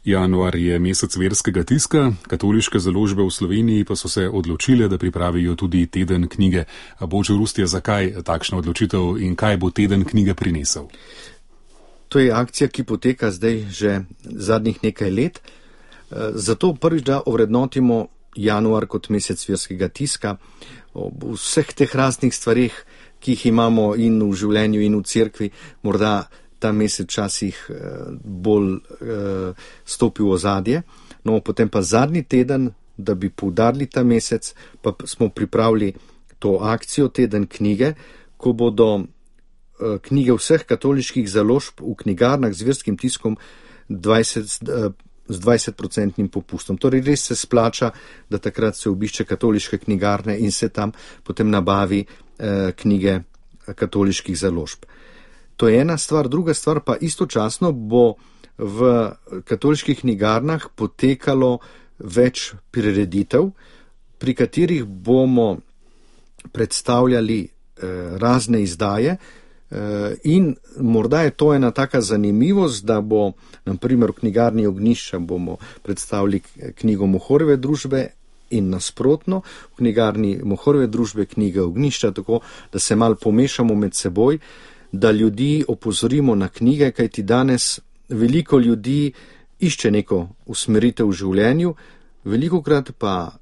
Januar je mesec verskega tiska, katoliške založbe v Sloveniji pa so se odločile, da pripravijo tudi teden knjige. Božo Rustje, zakaj takšna odločitev in kaj bo teden knjige prinesel? To je akcija, ki poteka zdaj že zadnjih nekaj let. Zato prvič, da ovrednotimo januar kot mesec verskega tiska, ob vseh teh raznih stvarih, ki jih imamo in v življenju in v cerkvi, morda ta mesec včasih bolj stopi v ozadje. No, potem pa zadnji teden, da bi poudarili ta mesec, pa smo pripravili to akcijo teden knjige, ko bodo knjige vseh katoliških založb v knjigarnah z verskim tiskom z 20% popustom. Torej res se splača, da takrat se obišče katoliške knjigarne in se tam potem nabavi knjige katoliških založb. To je ena stvar, druga stvar pa istočasno bo v katoliških knjigarnah potekalo več prireditev, pri katerih bomo predstavljali razne izdaje in morda je to ena taka zanimivost, da bo, na primer, v knjigarni Ognjišča bomo predstavili knjigo Mohorjeve družbe in nasprotno, v knjigarni Mohorjeve družbe knjige Ognjišča, tako da se malo pomešamo med seboj, da ljudi opozorimo na knjige, kajti danes veliko ljudi išče neko usmeritev v življenju, velikokrat pa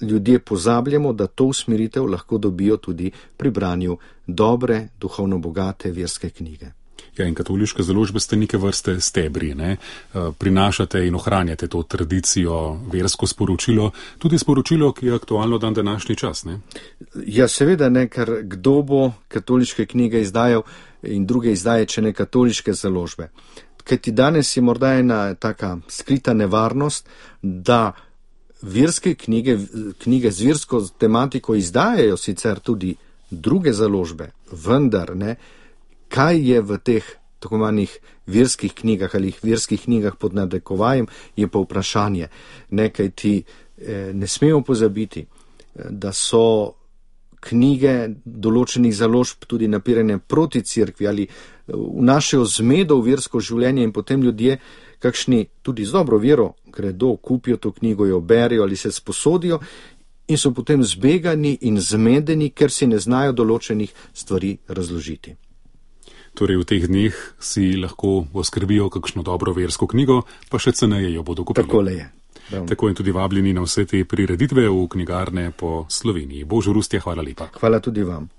ljudje pozabljamo, da to usmeritev lahko dobijo tudi pri branju dobre, duhovno bogate verske knjige. Ja, in katoliške založbe ste neke vrste stebri, ne? Prinašate in ohranjate to tradicijo, versko sporočilo, tudi sporočilo, ki je aktualno dan današnji čas, ne? Ja, seveda ne, ker kdo bo katoliške knjige izdajal in druge izdaje, če ne katoliške založbe. Kajti danes je morda ena taka skrita nevarnost, da verske knjige z versko tematiko izdajajo sicer tudi druge založbe, vendar ne, kaj je v teh tako manjih verskih knjigah ali verskih knjigah pod narekovajem, je pa vprašanje. Nekaj ti ne smemo pozabiti, da so knjige določenih založb tudi napirane proti cerkvi ali vnašajo zmedo v versko življenje in potem ljudje, kakšni tudi z dobro vero gredo, kupijo to knjigo, jo berijo ali se sposodijo in so potem zbegani in zmedeni, ker si ne znajo določenih stvari razložiti. Torej v teh dneh si lahko oskrbijo kakšno dobro versko knjigo, pa še ceneje jo bodo kupili. Takole je. Tako in tudi vabljeni na vse te prireditve v knjigarne po Sloveniji. Božo Rustje, hvala lepa. Hvala tudi vam.